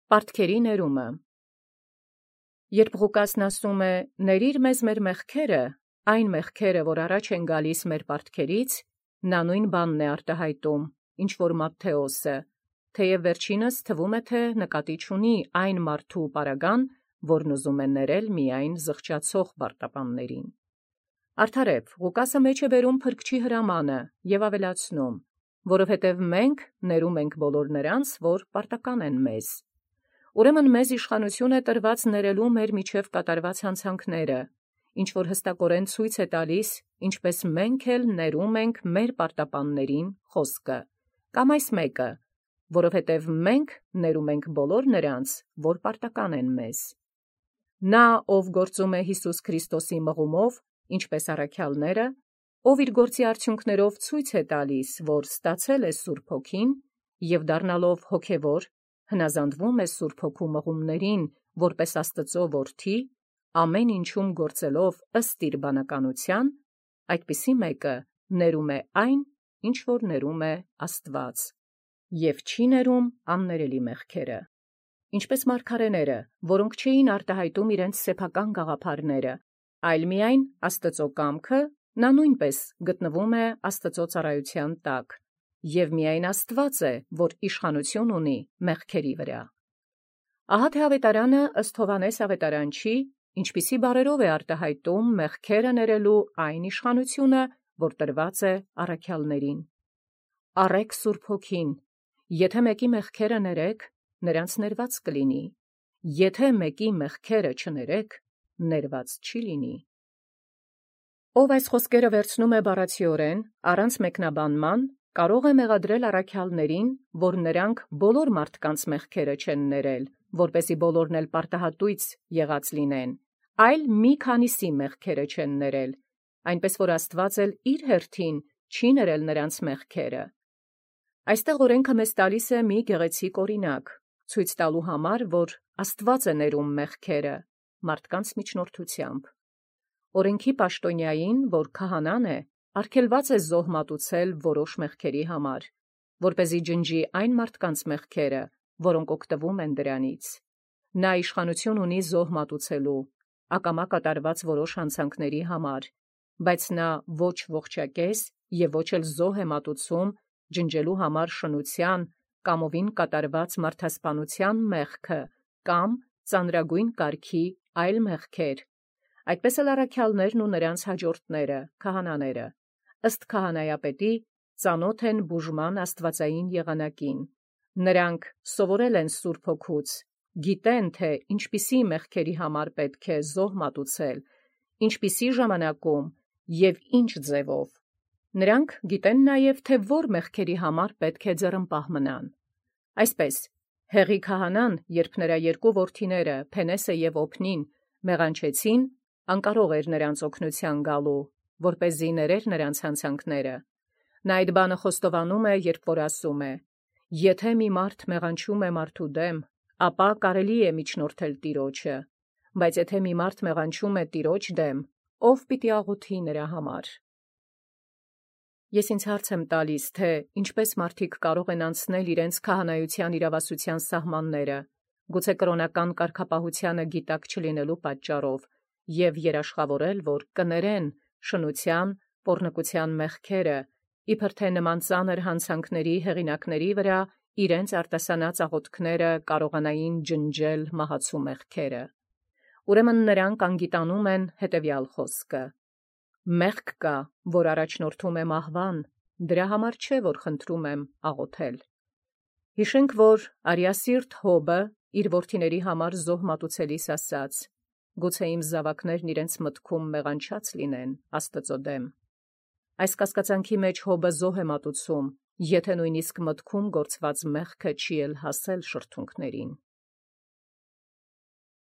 Պարտքերի ներումը։ Երբ Ղուկասն ասում է «Ներիր մեզ մեր մեղքերը», այն մեղքերը, որ առաջ են գալիս մեր պարտքերից, նա նույն բանն է արտահայտում, ինչ որ Մատթեոսը, թեև վերջինս թվում է, թե նկատի չունի այն մարդու պարագան, որն ուզում է ներել միայն զղջացող պարտապաններին։ Արդարև, Ղուկասը մեջ է բերում փրկչի հրամանը և ավելացնում, որովհետև մենք ներում ենք բոլոր նրանց, որ պարտական են մեզ։ Ուրեմն մեզ իշխանություն է տրված ներելու մեր միջև կատարված հանցանքները, ինչ որ հստակորեն ցույց է տալիս, ինչպես մենք էլ ներում ենք մեր պարտապաններին խոսքը, կամ այս մեկը, որովհետև մենք ներում ենք բոլոր նրանց, որ պարտական են մեզ։ Նա, ով գործում է Հիսուս Քրիստոսի մղումով, ինչպես առաքյալները, ով իր գործի արդյունքներով ցույց է տալիս, որ ստացել է Սուրբ Հոգին և դառնալով հոգևոր, հնազանդվում է Սուրբ Հոգու մղումներին, որպես Աստծո որդի, ամեն ինչում գործելով ըստ իր բանականության, այդպիսի մեկը ներում է այն, ինչ որ ներում է Աստված, և չի ներում աններելի մեղքերը։ Ինչպես մարգարեները, որոնք չէին արտահայտում իրենց սեփական գաղափարները, այլ միայն Աստծո կամքը, նա նույնպես գտնվում է Աստծո ծառայության տակ, և միայն Աստված է, որ իշխանություն ունի մեղքերի վրա։ Ահա թե ավետարանը ըստ Հովհաննես ավետարանչի, ինչպիսի բառերով է արտահայտում մեղքերը ներելու այն իշխանությունը, որ տրված է առաքյալներին։ Առեք Սուրբ Հոգին, եթե մեկի մեղքերը ներեք, նրանց ներված կլինի, եթե մեկի մեղքերը չներեք, ներված չի լինի։ Ով այս խոսքերը վերցնում է բառացիորեն, առանց մեկնաբանման, կարող է մեղադրել առաքյալներին, որ նրանք բոլոր մարդկանց մեղքերը չեն ներել, որպեսզի բոլորն էլ պարտահատույց եղած լինեն, այլ մի քանիսի մեղքերը չեն ներել, այնպես որ Աստված էլ իր հերթին չի ներել նրանց մեղքերը։ Այստեղ օրենքը մեզ տալիս է մի գեղեցիկ օրինակ, ցույց տալու համար, որ Աստված է ներում մեղքերը մարդկանց միջնորդությամբ։ Օրենքի պաշտոնյային, որ քահանան է, արգելված է զոհ մատուցել որոշ մեղքերի համար, որպեսզի ջնջի այն մարդկանց մեղքերը, որոնք օգտվում են դրանից։ Նա իշխանություն ունի զոհ մատուցելու, ակամա կատարված որոշ հանցանքների համար, բայց նա ոչ ողջակեզ և ոչ էլ զոհ է մատուցում ջնջելու համար շնության, կամովին կատարված մարդասպանության մեղքը կամ ծանրագույն կարգի այլ մեղքեր։ Այդպես էլ առաքյալներն ու նրանց հաջորդները, քահանաները, ըստ քահանայապետի, ծանոթ են բուժման աստվածային եղանակին։ Նրանք սովորել են Սուրբ Հոգուց, գիտեն, թե ինչպիսի մեղքերի համար պետք է զոհ մատուցել, ինչպիսի ժամանակում և ինչ ձևով։ Նրանք գիտեն նաև, թե որ մեղքերի համար պետք է ձեռնպահ մնան։ Այսպես, հեղի քահանան, երբ նրա երկու որդիները, Փենեսը և Օփնին, մեղանչեցին, անկարող էր նրանց օգնության գալու, որպեսզի ներեր նրանց հանցանքները։ Նա այդ բանը խոստովանում է, երբ որ ասում է. «Եթե մի մարդ մեղանչում է մարդու դեմ, ապա կարելի է միջնորդել Տիրոջը, բայց եթե մի մարդ մեղանչում է Տիրոջ դեմ, ով պիտի աղոթի նրա համար»։ Ես ինձ հարց եմ տալիս, թե ինչպես մարդիկ կարող են անցնել իրենց քահանայության իրավասության սահմանները, գուցե կրոնական կարգապահությանը գիտակ չլինելու պատճառով, և երաշխավորել, որ կներեն շնության, պոռնկության մեղքերը, իբր թե նման ծանր հանցանքների հեղինակների վրա իրենց արտասանած աղոթքները կարողանային ջնջել մահացու մեղքերը։ Ուրեմն նրանք անգիտանում են հետևյալ խոսքը. «Մեղք կա, որ առաջնորդում է մահվան, դրա համար չէ, որ խնդրում եմ աղոթել»։ Հիշենք, որ արիասիրտ Հոբը իր որդիների համար զոհ մատուցելիս ասաց. «Գուցե իմ զավակներն իրենց մտքում մեղանչած լինեն Աստծո դեմ»։ Այս կասկածանքի մեջ Հոբը զոհ է մատուցում, եթե նույնիսկ մտքում գործված մեղքը չի էլ հասել շրթունքներին։